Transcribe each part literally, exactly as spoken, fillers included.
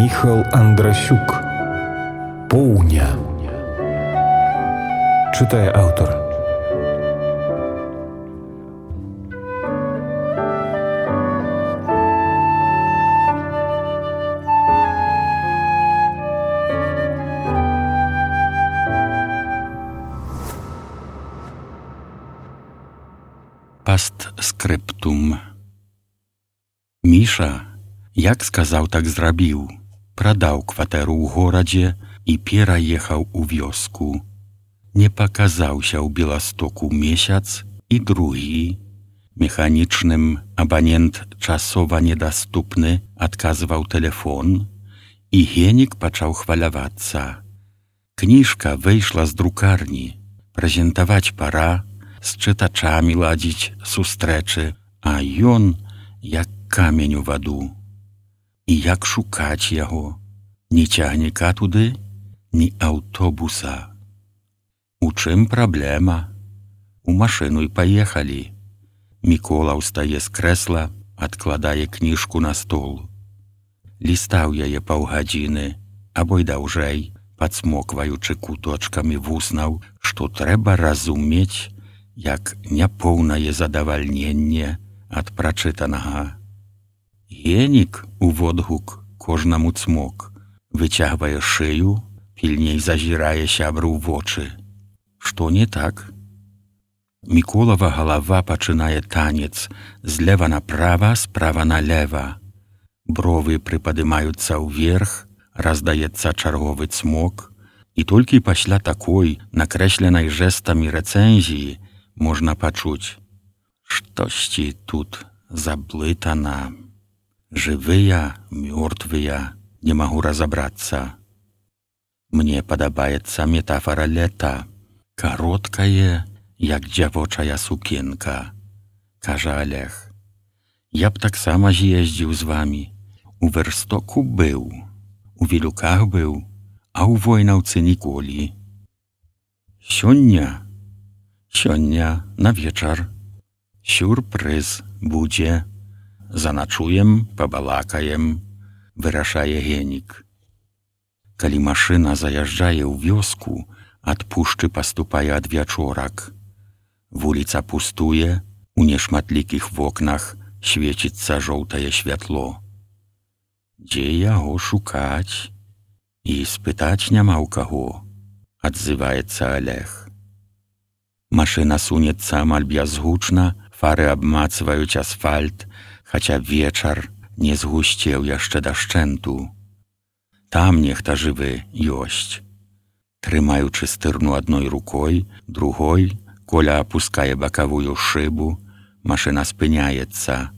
Міхал Андрасюк. Поўня. Чытае аўтар. Пастскрыптум. Міша, як сказаў, так зрабіў. Прадаў кватэру ў горадзе і пераехаў у вёску. Не паказаўся ў Беластоку месяц і другі. Механічным абанент часова недаступны адказваў тэлефон, і Генік пачаў хвалявацца. Кніжка выйшла з друкарні, прэзентаваць пара, з чытачамі ладзіць сустрэчы, а ён як камень у ваду. І як шукаць яго? Ні цягніка туды, ні аўтобуса. У чым праблема? У машыну і паехалі. Мікола ўстае з крэсла, адкладае кніжку на стол. Лістаў яе паўгадзіны, або й даўжэй, падсмокваючы куточкамі вуснаў, што трэба разумець, як няпоўнае задавальненне ад прачытанага. Генік у водгук кожнаму цмок, выцягвае шыю, пільней зазірае сябру ў вочы. Што не так? Міколава галава пачынае танец злева направа, справа налева. Бровы прыпадымаюцца ўверх, раздаецца чарговы цмок, і толькі пасля такой, накрэсленай жэстамі рэцэнзіі, можна пачуць: штосьці тут заблытана. Жывыя, мёртвыя, не магу разабрацца. Мне падабаецца метафара лета, кароткае, як дзявочая сукенка, кажа Олег. Я б таксама з'ездзіў з вамі. У Верстоку быў, у Вілюках быў, а ў Войнаўцы ніколі. Сёння, сёння на вечар. Сюрпрыз будзе. Заначуем, пабалакаем, вырашае Генік. Калі машына заязджае ў вёску, ад пушчы паступае адвячорак. Вуліца пустуе, у нешматлікіх вокнах свеціцца жоўтае святло. Дзе яго шукаць? І спытаць няма ў каго, адзываецца Олег. Машына сунецца амаль бязгучна, фары абмацваюць асфальт, хаця вечар не згусцеў яшчэ дашчэнту. Там нехта жывы ёсць. Трымаючы стырну адной рукой, другой, Коля апускае бакавую шыбу, машына спыняецца.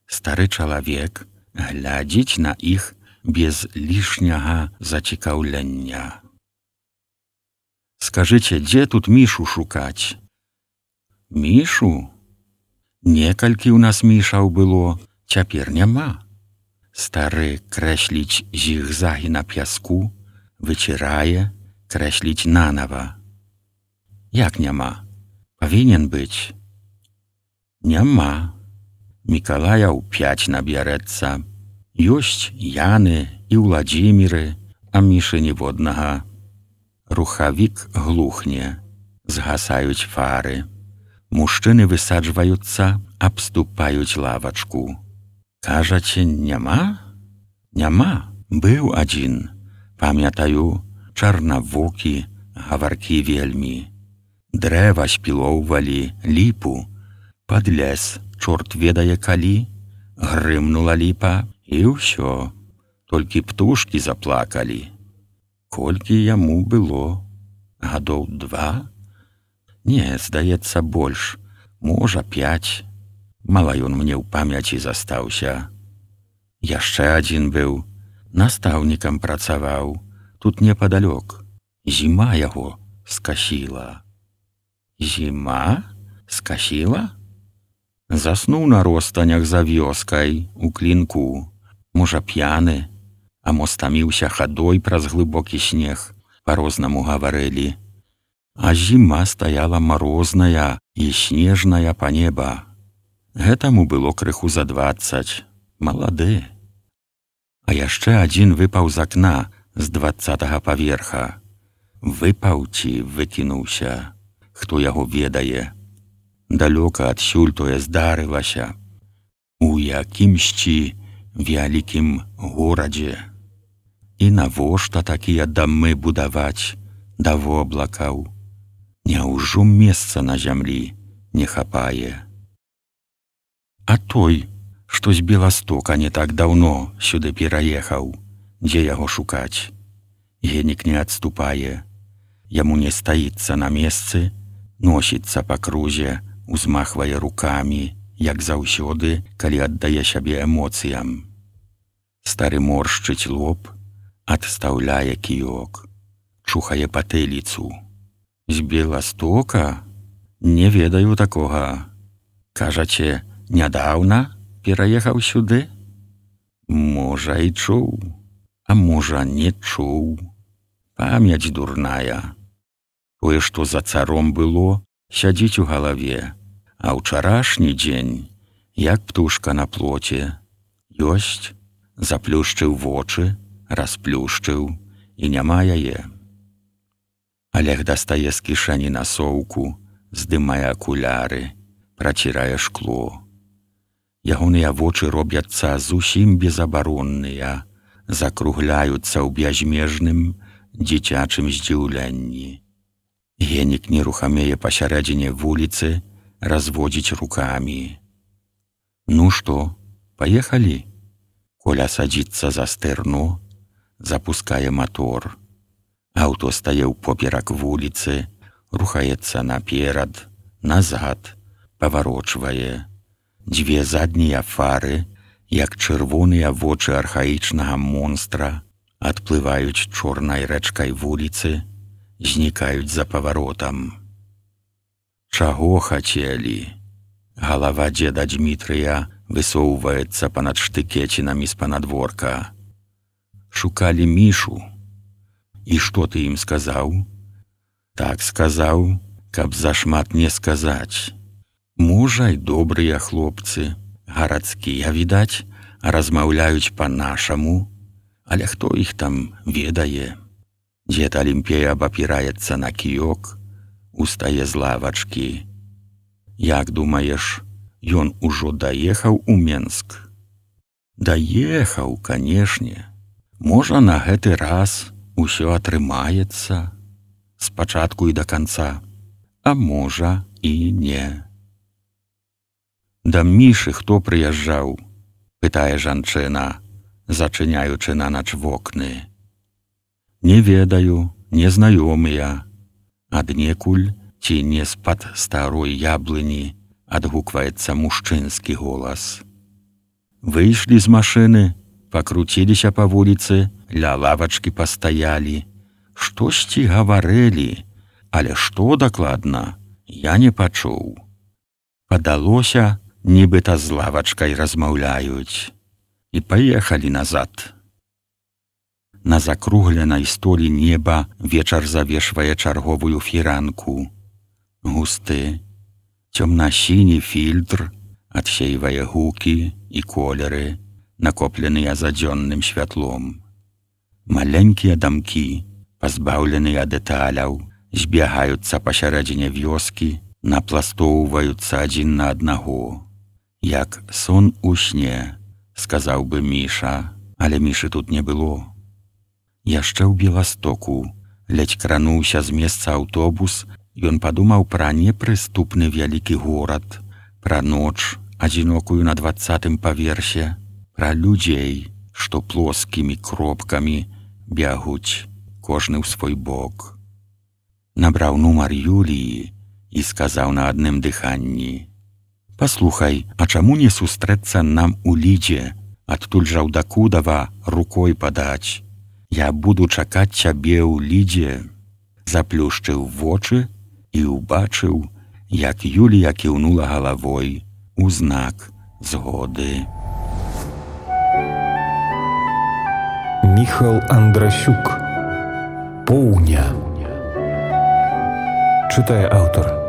Стары чалавек глядзіць на іх без лішняга зацікаўлення. Скажыце, дзе тут Мішу шукаць? Мішу? Некалькі ў нас мішаў было, цяпер няма. Стары крэсліць зігзагі на пяску, выцірае, крэсліць нанава. Як няма? Павінен быць. Няма. Мікалаяў пяць набярэцца. Ёсць Яны і Ўладзіміры, а Мішы ніводнага. Рухавік глухне, згасаюць фары. Мужчыны высаджваюцца, абступаюць лавачку. Кажаце, няма? Няма, быў адзін. Памятаю, чарнавокі, гаваркі вельмі. Дрэва спілоўвалі, ліпу. Пад лес, чорт ведае калі, грымнула ліпа, і ўсё. Толькі птушкі заплакалі. Колькі яму было? Гадоў два? Не, здаецца, больш. Можа, пяць. Мала ён мне ў памяці застаўся. Яшчэ адзін быў. Настаўнікам працаваў. Тут непадалёк. Зіма яго скасіла. Зіма? Скасіла? Заснуў на ростанях за вёскай, у клінку. Можа, п'яны, а мо стаміўся хадой праз глыбокі снег. Па-рознаму гаварылі. А зіма стаяла марозная і снежная па неба. Гэтаму было крыху за дваццаць. Малады. А яшчэ адзін выпаў з акна з дваццатага паверха. Выпаў ці выкінуўся, хто яго ведае. Далёка адсюль тое здарылася, у якімсьці вялікім горадзе. І навошта такія дамы будаваць да воблакаў? Няўжо месца на зямлі не хапае? А той, што з Беластока не так даўно сюды пераехаў, дзе яго шукаць? Генік не адступае. Яму не стаіцца на месцы, носіцца па крузе, узмахвае рукамі, як заўсёды, калі аддае сябе эмоцыям. Стары моршчыць лоб, адстаўляе кіёк, чухае патыліцу. З Беластока? Не ведаю такога. Кажаце, нядаўна пераехаў сюды? Можа, і чуў, а можа, не чуў. Памяць дурная. Тое, што за царом было, сядзіць у галаве, а ўчарашні дзень, як птушка на плоце, ёсць, заплюшчыў вочы, расплюшчыў, і няма яе. Алег дастае з кішэні насоўку, здымае акуляры, працірае шкло. Ягоныя вочы робяцца зусім безабаронныя, закругляюцца ў бязмежным дзіцячым здзіўленні. Генік нерухамее пасярэдзіне вуліцы, разводзіць рукамі. Ну што, паехалі? Коля садзіцца за стэрно, запускае мотор. Аўто стае ўпоперак вуліцы, рухаецца наперад, назад, паварочвае. Дзве заднія фары, як чырвоныя вочы архаічнага монстра, адплываюць чорнай рэчкай вуліцы, знікаюць за паваротам. Чаго хацелі? Галава дзеда Дзмітрыя высоўваецца панад штыкецінамі з панадворка. Шукалі Мішу. І што ты ім сказаў? Так сказаў, каб зашмат не сказаць. Можа, й добрыя хлопцы, гарадскія, відаць, размаўляюць па-нашаму, але хто іх там ведае? Дзед Алімпей абапіраецца на кіёк, устае з лавачкі. Як думаеш, ён ужо даехаў у Менск? Даехаў, канешне. Можа, на гэты раз усё атрымаецца спачатку і да канца, а можа і не. Да Мішы хто прыязджаў? Пытае жанчына, зачыняючы на ноч вокны. Не ведаю, незнаёмыя. Аднекуль ці не з-пад старой яблыні адгукваецца мужчынскі голас. Выйшлі з машыны, пакруціліся па вуліцы, ля лавачкі пастаялі. Штосьці гаварылі, але што дакладна, я не пачуў. Падалося, нібыта з лавачкай размаўляюць. І паехалі назад. На закругленай столі неба вечар завешвае чарговую фіранку. Густы, цёмна-сіні фільтр адсейвае гукі і колеры, накопленыя за дзённым святлом. Маленькія дамкі, пазбаўленыя дэталяў, збягаюцца пасярэдзіне вёскі, напластоўваюцца адзін на аднаго. Як сон у сне, сказаў бы Міша, але Мішы тут не было. Яшчэ ў Беластоку, ледзь крануўся з месца аўтобус, ён падумаў пра непрыступны вялікі горад, пра ноч, адзінокую на дваццатым паверсе, пра людзей, што плоскімі кропкамі бягуць, кожны ў свой бок. Набраў нумар Юліі і сказаў на адным дыханні: «Паслухай, а чаму не сустрэцца нам у Лідзе, адтуль жа ў Дакудава рукой падаць? Я буду чакаць цябе ў Лідзе». Заплюшчыў вочы і ўбачыў, як Юлія кіўнула галавой у знак згоды. Міхал Андрасюк. Поўня. Чытае аўтар.